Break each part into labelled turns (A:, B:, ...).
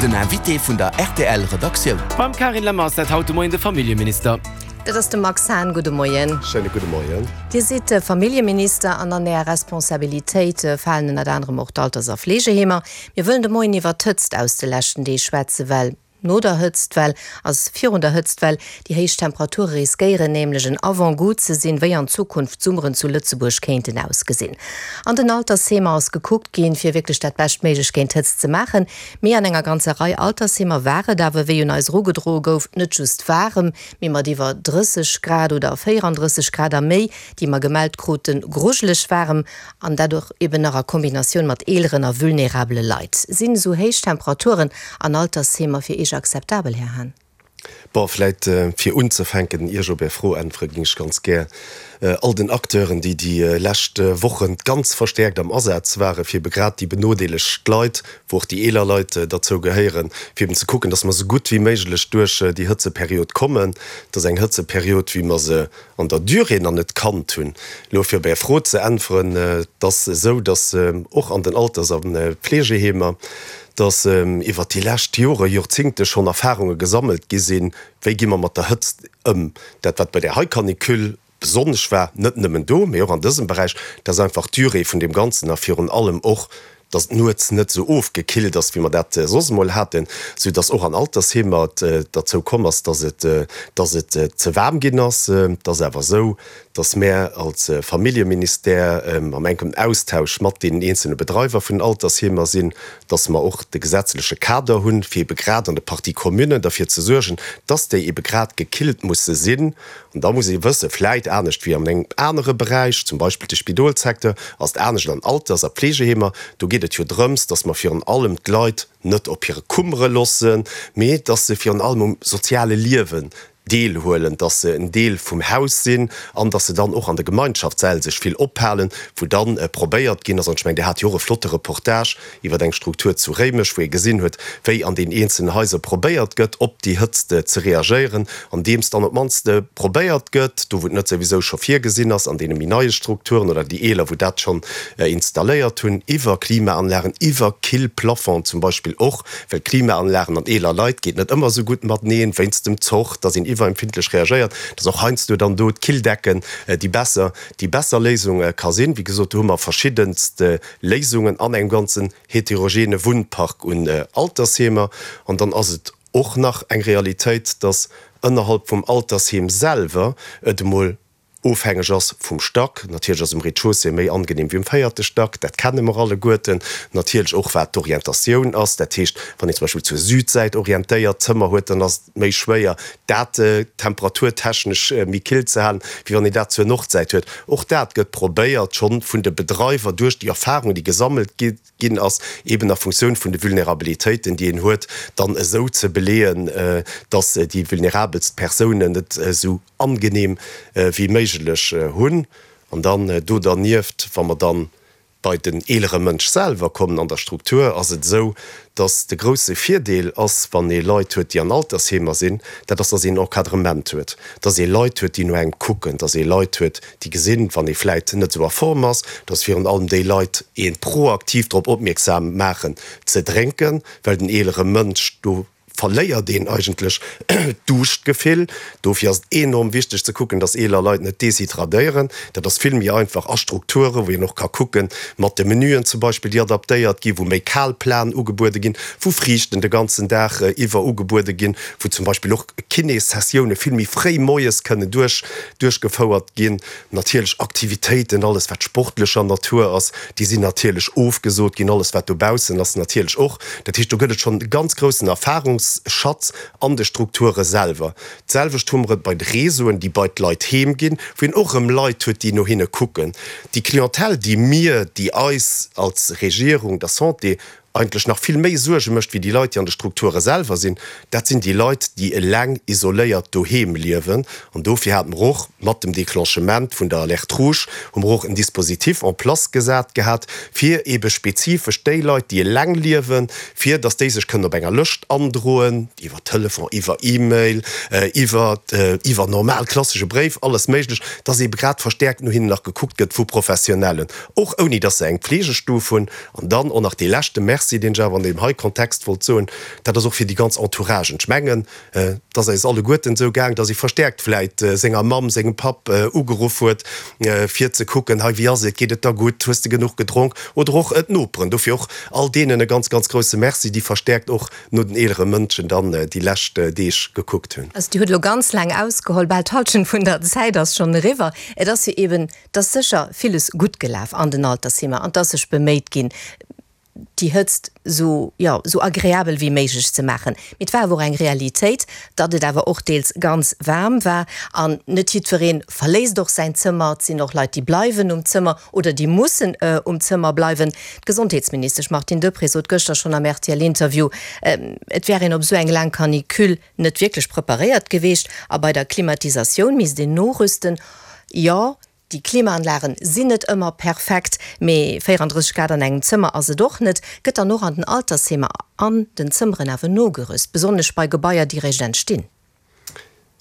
A: Den Invité vun der rtl Redaktioun.
B: Beim Carine Lemmer ass dat haut de Moien de Familljeminister.
C: Dat ass de Max Hahn. Gudde Moien.
D: Schéine gudde Moien.
C: Dir sidd Familljeminister an an Äer Responsabilitéit falen ënnert anerem och d'Alters a Fleegeheemer. Mir wëllen de Moien iwwert d'Hëtzt aus de leschten Deeg schwätzen, well no der Hëtztwell ass virun der Hëtztwell. Déi héich Temperature riskéieren nämlech en Avant-goût ze sinn, wéi an Zukunft d'Summeren zu Lëtzebuerg kéinten ausgesinn. An den Altersheemer ass gekuckt ginn, fir wierklech dat Beschtméiglecht géint d'Hëtzt ze maachen. Mee an enger ganzer Rei Altersheemer war et awer, wéi un eis erugedroe gouf, net just waarem, mee mat iwwer 30 Grad oder 34 Grad a méi, déi mer gemellt kruten, grujeleg waarem. An dat och eben nach a Kombinatioun mat eeleren a vulnerabele Leit. Sinn esou héich Temperaturen an Altersheemer fir Iech akzeptabel, Här Hahn?
D: Bon, vläit fir unzefänken, ier ech op Är Fro äntwere, géing ech ganz gär all den Acteuren, déi déi lescht Wochen ganz verstäerkt am Asaz waren, fir ebe grad déi benodeelegt Leit, wou och déi eeler Leit derzou gehéieren, fir eben ze kucken, dass mer esou gutt wéi méiglech duerch déi Hëtzeperiod kommen. Et ass eng Hëtzeperiod, wéi mer se an der Durée nach net kannt hunn. Elo fir op Är Fro ze äntweren, Et ass esou, datt och an den Alters a Fleegeheemer, datt iwwert déi lescht Jore, Jorzingte schonn Erfarunge gesammelt gi sinn, wéi gi mer mat der Hëtzt ëm. Dat wat bei där hei Canicule besonnesch war, net nëmmen do, mee och an dësem Beräich, dat ass einfach d'Durée vun deem Ganzen a virun allem och, dass et nuets net esou ofgekillt ass, wéi mer dat soss emol haten, soudass och an Altersheemer et derzou komm ass, dass et, dass et ze waarm ginn ass. Et ass awer esou, dass mär als Familljeministère am enken Austausch mat deenen eenzelne Bedreiwer vun den Altersheemer sinn, dass mer och de gesetzleche Kader hunn, fir ebe grad an de Parties communes derfir ze suergen, dass déi ebe grad gekillt musse sinn. An da muss ee wëssen, vläit anescht wéi an engem anere Beräich, zum Beispill de Spidolssecteur, ass et anescht an Alters a Pflegeheemer. Do geet et jo drëms, dass mer virun allem d'Leit net op hire Kummere loossen, mee dass se virun allem um soziale Liewen deelhuelen, dass se en Deel vum Haus sinn an dass se dann och an de Gemeinschaftssäll sech vill ophalen, wou dann probéiert ginn ass, an ech mengen, Dir hat jo och e flotte Reportage iwwer eng Struktur zu Réimech, wou ee gesinn huet, wéi an den eenzelnen Haiser probéiert gëtt, op déi Hëtzt ze reagéieren, andeems dann op d'mannst probéiert gëtt, do wou et net souwisou scho virgesinn ass, an deene méi neie Strukturen oder déi eeler, wou dat schonn installéiert hunn, iwwer Klimaanlagen, iwwer Killplafonds zum Beispill och, well Klimaanlagen an eeler Leit geet net ëmmer esou gutt mateneen, wéinst dem Zoch, dass een iwwerempfindlech reagéiert, dass och heiansdo dann do d'Killdecken déi besser, déi besser Léisung ka sinn. Wéi gesot, do hu mer verschiddenst Léisungen an engem ganzen heterogene Wunnpark un Altersheemer. An dann ass et och nach eng Realitéit, dass ënnerhalb vum Altersheem selwer et emol ofhängeg ass vum Stack. Natierlech ass um Rez-de-chaussée méi angenehm wéi um véierte Stack, dat kenne mer alleguerten. Natierlech och wat d'Orientatioun ass, dat heescht, wann een zum Beispill zur Südsäit orientéiert Zëmmer huet, dann ass et méi schwéier dat temperaturtechnesch méi kill ze halen, wéi wann een dat zur Nordsäit huet. Och dat gëtt probéiert schonn vun de Bedreiwer duerch déi Erfahrung, déi gesammelt ginn ass, eben a Funktioun vun de Vulnerabilitéiten, déi een huet, dann esou ze beleeën, dass déi vulnerabelst Persounen et esou angenehm wéi méiglech hunn. An dann do dernieft, wa mer dann bei den eelere Mënsch selwer kommen an der Struktur, ass et esou, dass de grousse Virdeel ass, wann ee Leit huet, déi an Altersheemer sinn, dat ass, dass een Encadrement huet, dass ee Leit huet, déi no engem kucken, dass ee Leit huet, déi gesinn, wann ee vläit net esou a Form ass, dass virun allem déi Leit ee proaktiv drop opmierksam maachen ze drénken, well den eelere Mënsch do verléiert een eigentlech d'Duuschtgefill. Dofir ass et enorm wichteg ze kucken, dass eeler Leit net deshydradéieren. Dat ass vill méi einfach a Strukturen, wou een och ka kucken, mat de Menüen zum Beispill, déi adaptéiert ginn, wou méi kal Platen ugebuede ginn, wou Friichten de ganzen Dag iwwer ugebuede ginn, wou zum Beispill och Kinéssessioune vill méi fréi moies kënnen duerch duerchgefouert ginn. Natierlech Aktivitéiten, alles wat sportlecher Natur ass, déi sinn natierlech ofgesot ginn, alles wat dobaussen ass natierlech och. Dat heescht, do gëtt et schonn e ganz groussen Erfahrungsschatz an de Strukture selwer. D'selwecht hu mer et bei de Réseauen, déi bei d'Leit heem ginn, wou een och erëm Leit huet, déi no hinne kucken. Déi Clientèle, déi mir, déi eis als Regierung, der Santé eigentlech nach vill méi Suerge mécht wéi déi Leit, déi an de Strukture selwer sinn, dat sinn déi Leit, déi eleng isoléiert doheem liewen. An dofir hate mer och mat dem Déclenchement vun der Alerte rouge, hu mer och en Dispositif en place gesat gehat, fir eebe spezifesch déi Leit, déi eleng liewen, fir datt déi sech kënnen op enger Lëscht androen, iwwer Telefon, iwwer E-Mail, iwwer, iwwer normal klassesche Bréif, alles méiglech, datt eebe grad verstäerkt no hinnen nach gekuckt gëtt vu Professionellen, och ouni datt se eng Pflegestuf hunn. An dann och nach dee leschte Merci. Merci, deen ech awer an deem hei Kontext wollt soen, dat ass och fir déi ganz Entouragen. Ech mengen, et ass eis alleguerten esou gaang, dass ee verstärkt vläit senger Mamm, sengem Papp ugeruff huet, fir ze kucken, Hei, wéi ass et, geet et der gutt, hues de genuch gedronk? Oder och d'Noperen. Dofir och all deenen e ganz, ganz grouse Merci, déi verstärkt och no den eelere Mënschen dann déi lescht Deeg gekuckt hunn.
C: Also Dir hutt elo ganz laang ausgeholl, bal d'Hallschent vun der Zäit ass schonn eriwwer. Et ass jo eben, et ass sécher villes gutt gelaf an den Altersheemer an et ass sech beméit ginn, déi Hëtzt esou, jo, esou agreabel wéi méiglech ze maachen. Mee et war awer och eng Realitéit, datt et awer och deels ganz waarm war an net jiddweree verléisst och säin Zëmmer. Et sinn och Leit, déi bleiwen um Zëmmer oder déi mussen um Zëmmer bleiwen. D'Gesondheetsministesch Martine Deprez sot gëschter schonn am RTL-Interview, et wär een op esou eng laang Canicule net wierklech preparéiert geweecht a bei der Klimatisatioun misst een norüsten. Jo, déi Klimaanlagen sinn net ëmmer perfekt, mee 34 Grad an engem Zëmmer ass et och net. Gëtt dann och an den Altersheemer an den Zëmmeren awer nogerüst, besonnesch bei Gebaier, déi réischt entstinn?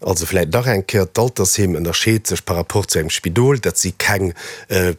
D: Also vläit nach eng Kéier, D'Altersheem ënnerscheet sech par rapport zu engem Spidol. Dat si keng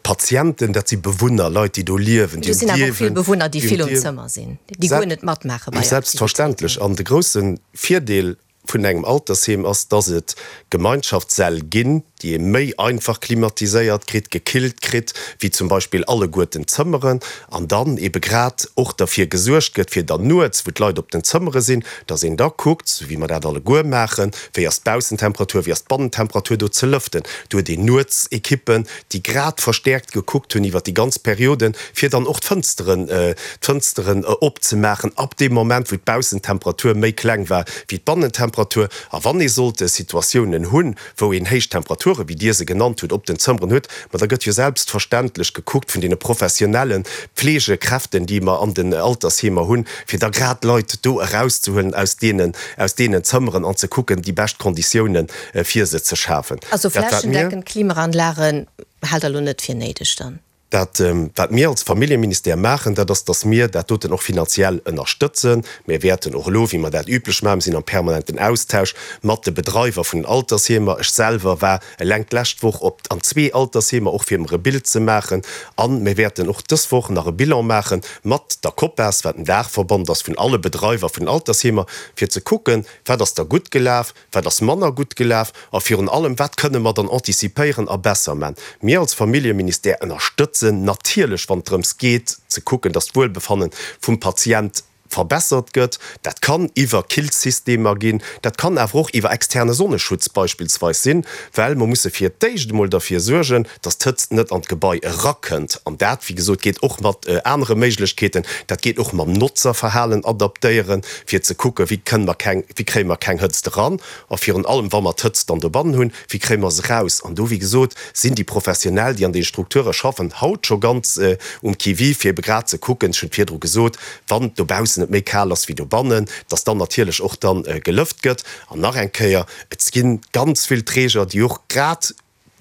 D: Patienten, dat si Bewunner, Leit, déi do liewen,
C: déi um Dierwen. Do sinn awer och vill Bewunner, déi vill um Zëmmer sinn, déi guer net matmaache bei
D: Aktivitéiten. Selbstverständlech. An de grousse Virdeel vun engem Altersheem ass, dass et Gemeinschaftssäll ginn, déi ee méi einfach klimatiséiert kritt, gekillt kritt, wéi zum Beispill alleguerten d'Zëmmeren, an dann ebe grad och derfir gesuergt gëtt, fir dann nuets, wou d'Leit op den Zëmmere sinn, dass een da kuckt, sou wéi mer dat alleguer maachen, wéi ass d'Baussentemperatur, wéi ass d'Bannentemperatur, do ze lëften. Do huet een nuets Ekippen, déi grad verstäerkt gekuckt hunn iwwert déi ganz Perioden, fir dann och d'Fënsteren, d'Fënsteren opzemaachen ab deem Moment, wou d'Baussentemperatur méi kleng war wéi d'Bannentemperatur. A wann ee sollte Situatiounen hunn, wou een héich Temperaturen, wéi Dir se genannt hutt, op den Zëmmeren huet, ma da gëtt jo selbstverständlech gekuckt vun deene professionelle Pflegekräften, déi mer an den Altersheemer hunn, fir da grad d'Leit do erauszehuelen aus deenen, aus deenen Zëmmeren an ze kucken, déi bescht Konditiounen fir se ze schafen.
C: Also flächendeckend Klimaanlagen haalt Der elo net fir néideg dann?
D: Dat, wat mir als Familljeministère maachen, dat ass, dass mir dat doten och finanziell ënnerstëtzen. Mir wäerten och elo, wéi mer dat üblech maachen, mir sinn am permanenten Austausch mat de Bedreiwer vun den Altersheemer. Ech selwer war eleng d'lescht Woch op an zwee Altersheemer, och fir mer e Bild ze maachen. A mir wäerten och dës Woch nach e Bilan maache mat der COPAS, wat en Daachverband ass vun alle Bedreiwer vun den Altersheemer, fir ze kucken, wat ass da gutt gelaf, Wat ass manner gutt gelaf? A virun allem, wat kënne mer dann anticipéieren a besser man? Mir als Familljeministère ënnerstëtzen natierlech, wann et drëms geet ze kucken, dass d'Wuelbefanne vum Patient verbessert gëtt. Dat kann iwwer Killsystemer ginn, dat kann awer och iwwer externe Sonneschutz beispillsweis sinn, well mer musse fir d'éischt emol derfir suergen, dass d'Hëtzt net an d'Gebai erakënnt. An dat, wéi gesot, geet och mat anere Méiglechkeeten. Dat geet och mam Notzerverhalen adaptéieren, fir ze kucken, wéi kënne mer keng, wéi kréie mer keng Hëtzt eran a virun allem, wa mer d'Hëtzt dann dobannen hunn, wéi kréie mer se eraus. An do, wéi gesot, sinn déi Professionell, déi an deene Strukture schaffen, haut scho ganz um Qui-vive, fir ebe grad ze kucken, ech hunn et virdru gesot, wann dobaussen et méi kal ass wéi dobannen, dass dann natierlech och dann gelëft gëtt. An nach eng Kéier, et gi ganz vill Träger, déi och grad,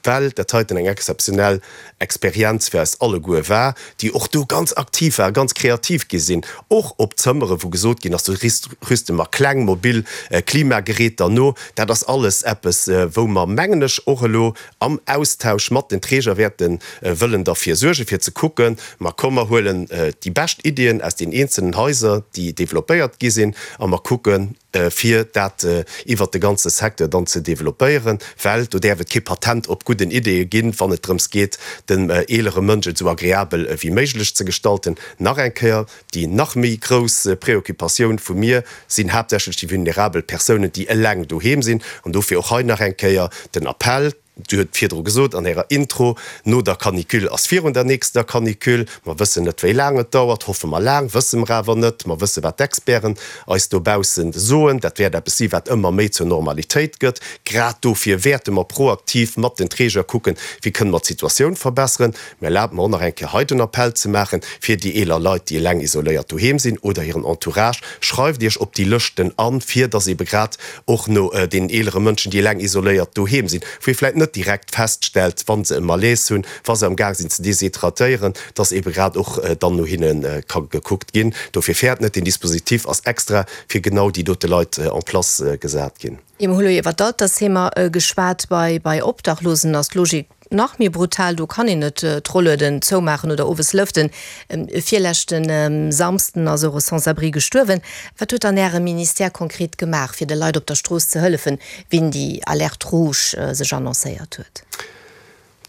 D: well dat heiten eng exzeptionell Experienz fir eis alleguer war, déi och do ganz aktiv waren, ganz kreativ gi sinn, och op Zëmmere wou gesot ginn ass, do rüste mer kleng mobil Klimageräter no. Dat ass alles eppes, wou mer, mengen ech, och elo am Austausch mat den Träger wäerte wëllen derfir suergen, fir ze kucken, ma komm mer huelen déi bescht Iddien aus den eenzelnen Haiser, déi developpéiert gi sinn, a mer kucken, fir dat iwwert de ganze Secteur dann ze developpéieren, well do däerf et kee Patent op gudden Ideeë ginn, wann et drëms geet, dem eelere Mënsch et esou agreabel ewéi méiglech ze gestalten. Nach eng Kéier, déi nach méi grouss Préoccupatioun vu mir sinn haaptsächlech déi vulnerabel Persounen, déi eleng doheem sinn. An dofir och hei nach eng Kéier den Appell, Dir hutt virdru gesot an Ärer Intro, no der Canicule ass virun der nächster Canicule. Mer wëssen net, wéi laang et dauert. Hoffe mer laang, wësse mer awer net. Mer wësse wat d'Experten eis dobausse soen. Dat wäert eppes si wat ëmmer méi zur Normalitéit gëtt. Grad dofir wäerte mer proaktiv mat den Träger kucken, wéi kënne mer d'Situatioun verbesseren. Mä erlaabt mer och nach eng Kéier hei den Appell ze maachen, fir déi eeler Leit, déi eleng isoléiert doheem sinn oder hiren Entourage, Schreift Iech op déi Lëschten an, fir dass ebe grad och no deenen eelere Mënschen, déi eleng isoléiert doheem sinn, wou ee vläicht net direkt feststellt, wa se e Malaise hunn, wa se am Gaang sinn ze deshydratéieren, dass ebe grad och dann no hinne ka gekuckt ginn. Dofir fäert net, deen Dispositif ass extra fir genau déi dote Leit en place gesat ginn.
C: Mir hu lo iwwer d'Altersheemer geschwat. Bei Obdachlosen ass d'Logik. nach méi brutal, do kann een net d'Rollueden zoumaachen oder owes lëften. Virleschte Samsden ass och e Sans-abri gestuerwen. Wat huet dann Äre Ministère konkret gemaach, fir de Leit op der Strooss ze hëllefen, wien déi Alerte rouge sech annoncéiert huet?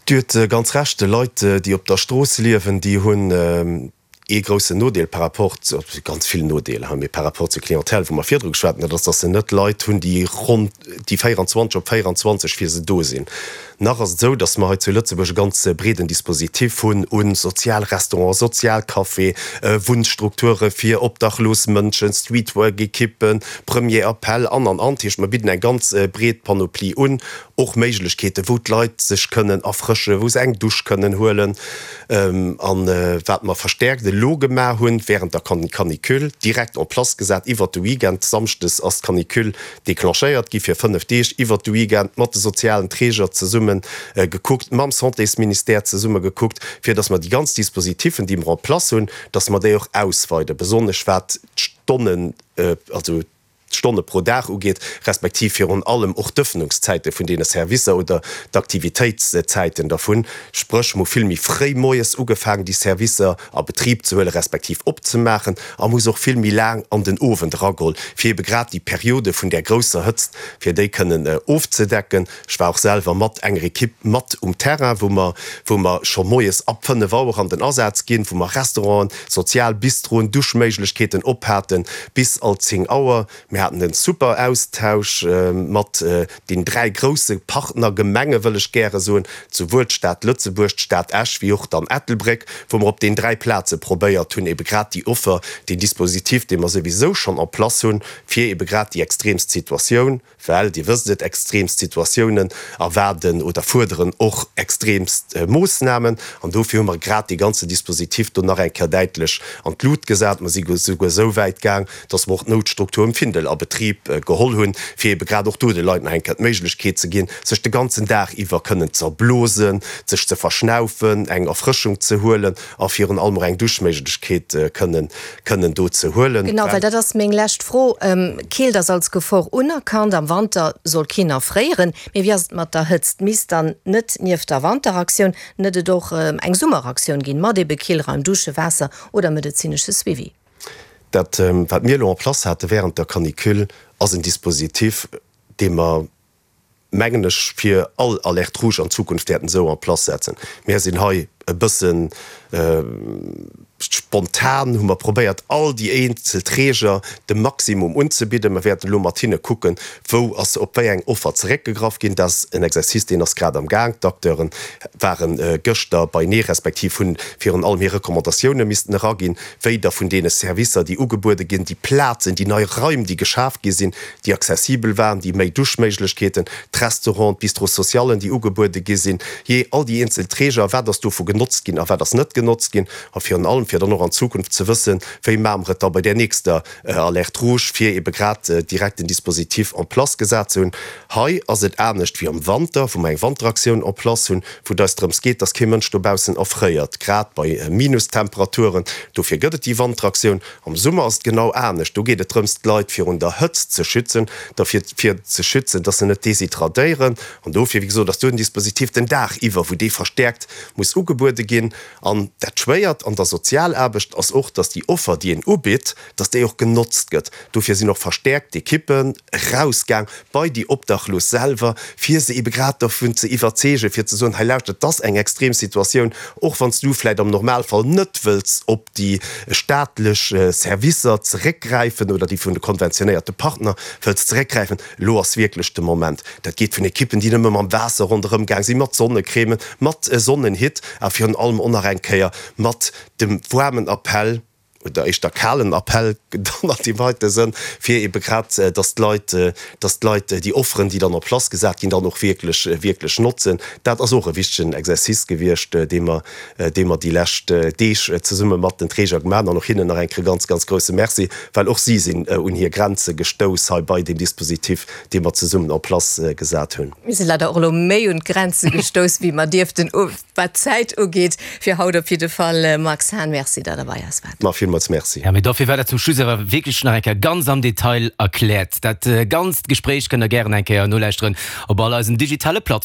D: Dir huet ganz Recht, Leit, déi op der Strooss liewen, déi hunn ee groussen Nodeel par rapport, ganz vill Nodeeler, mee par rapport zur Clientèle, wou mer virdru geschwat hunn, dat ass, datt se net Leit hunn, déi ronn déi 24 op 24 fir se do sinn. Nach ass et esou, datt mer hei zu Lëtzebuerg e ganz breeden Dispositif hunn u Sozialrestaurants, Sozialcafé, Wunnstrukture fir obdachlos Mënschen, Streetwork-Ekippen, Premier Appel an, an, an. Dat heescht, mer bidden eng ganz breet Panoplie un, och Méiglechkeeten, wou d'Leit sech kënnen erfrëschen, wou se eng Dusch kënnen huelen. An wat mer verstärkt elo gemaach hunn, während der Canicule, direkt en place gesat iwwert de Weekend, samschdes ass d'Canicule declenchéiert gi fir 5 Deeg, iwwert de Weekend mat de sozialen Träger zesumme gekuckt, mam Santésministère zesumme gekuckt, fir dass mer déi ganz Dispositifen, déi mer en place hunn, dass mer déi och ausweiden, besonnesch wat d'Stonnen, also d'Stonne pro Dag ugeet, respektiv virun allem och d'Ëffnungszäite vun deene Servicer oder d'Aktivitéitszäiten dervun. Spréch, mer hu vill méi fréi moies ugefaangen, déi Servicer a Betrib ze huelen, respektiv opzemaachen, a mer hu se och vill méi laang an den Owend erageholl, fir ebe grad déi Periode vun där grousser Hëtzt, fir déi kënnen ofzedecken. Ech war och selwer mat enger Ekipp mat um Terrain, wou mer, wou mer scho moies ab 5 Auer an den Asaz ginn, wou mer Restauranten, sozial Bistroen, Duschméiglechkeeten op haten bis alt 10 Auer. Mir haten en super Austausch mat den 3 grousse Partnergemenge wëll ech gäre soen, souwuel d'Stad Lëtzebuerg, d'Stad Esch wéi och dann Ettelbréck, wou mer op den 3 Plaze probéiert hunn, ebe grad déi Offer, deen Dispositif, dee mer souwisou schonn en place hunn, fir ebe grad déi extremst Situatioun, Well, Dir wësst et, extreemst Situatiounen erwaarden oder fuerderen och extreemst Moossnamen. An dofir hu mer grad dee ganze Dispositif do nach eng Kéier däitlech an d'Lut gesat. Mer si souguer esou wäit gaang, dass mer och d'Noutstruktur um Findel a Betrib geholl hunn, fir eebe grad och do de Leit nach eng Kéier d'Méiglechkeet ze ginn, sech de ganzen Dag iwwer kënnen z'erblosen, sech ze verschnaufen, eng Erfrëschung ze huelen a virun allem och eng Duschméiglechkeet kënnen kënnen do ze huelen.
C: Genau, well dat ass meng lescht Fro. Keelt ass als Gefor unerkannt. Am Wanter soll keen erfréieren. Mee wéi ass et mat der Hëtzt? Misst dann net nieft der Wanteraktioun net et och eng Summeraktioun ginn, mat ebe Killraim, Dusche, Waasser oder medezinesche Suivi?
D: Dat, wat mir elo en place hate während der Canicule, ass en Dispositif, dee mer, mengen ech, fir all Alerte rouge an Zukunft wäerten esou en place setzen. Mir sinn hei e bësse spontan, hu mer probéiert, all déi eenzel Träger de Maximum unzebidden. Mer wäerten elo mat hinne kucken, wou ass op wéi eng Offer zeréckgegraff ginn. Dat ass en Exercice, deen ass grad am Gaang. D'Acteure ware gëschter beinee, respektiv hunn virun allem hir Recommandatioune missten eraginn, wéi der vun deene Servicer, déi ugebuede ginn, déi Plazen, déi nei Raim, déi geschaf gi sinn, déi accessibel waren, déi méi Duschméiglechkeeten, d'Restauranten, d'Bistrots socialen, déi ugebuede gi sinn, jee all déi eenzel Träger, wat ass dovu genotzt ginn a wat ass net genotzt ginn, a virun allem fir dann och an Zukunft ze wëssen, wéi maache mer et da bei där nächster Alerte rouge, fir ebe grad direkt den Dispositif en place gesat ze hunn. Hei ass et anescht wéi am Wanter, wou mer eng Wanteraktioun en place hunn, wou et eis drëms geet, dass kee Mënsch dobaussen erfréiert, grad bei Minustemperaturen. Dofir gëtt et déi Wanteraktioun. Am Summer ass et genau anescht, do geet et drëms, d'Leit virun der Hëtzt ze schützen, derfir fir ze schützen, dass se net deshydratéieren. An dofir, wéi gesot, ass do en Dispositif den Dag iwwer, wou dee verstäerkt muss ugebuede ginn. An dat Schwéiert an der Sozialaarbecht ass och, dass déi Offer, déi een ubitt, dass déi och genotzt gëtt. Dofir sinn och verstäerkt Ekippen erausgaang bei déi Obdachlos selwer, fir se ebe grad dovun ze iwwerzeegen, fir ze soen, hei lauschtert, et ass eng extrem Situatioun, och wann s du vläicht am Normalfall net wëlls op déi staatlech Servicer zeréckgräifen oder déi vun de konventionéierte Partner wëlls zeréckgräifen, elo ass wierklech de Moment. Dat geet vun Ekippen, déi nëmme mam Waasser ronderëm gaang sinn, mat Sonnecrèmen, mat Sonnenhitt a virun allem och nach eng Kéier mat dem waarmen Appell, oder éischter kalen Appell dann an deem heite Sënn, fir ebe grad, dass d'Leit, dass d'Leit déi Offeren, déi dann en place gesat ginn, dann och wierklech, wierklech notzen. Dat ass och e wichtegen Exercice gewiescht, dee mer, dee mer déi lescht Deeg zesumme mat den Träger gemaach hunn. An och hinnen nach eng Kéier e ganz, ganz grouse Merci, well och si sinn un hir Grenze gestouss hei bei deem Dispositif, dee mer zesummen en place gesat hunn.
C: Mir si leider och elo méi un d'Grenze gestouss, wéi mer dierften. Wat d'Zäit ugeet, fir haut op jidde Fall. Max Hahn, Merci, datt Der bei eis waart.
D: Ma villmools Merci.
B: Ja, mee dofir war dat zum Schluss awer wierklech nach eng Kéier ganz am Detail erkläert. Dat ganzt Gespréich kënnt Der gären eng Kéier nolauschteren op all eisen digitale Plattformen.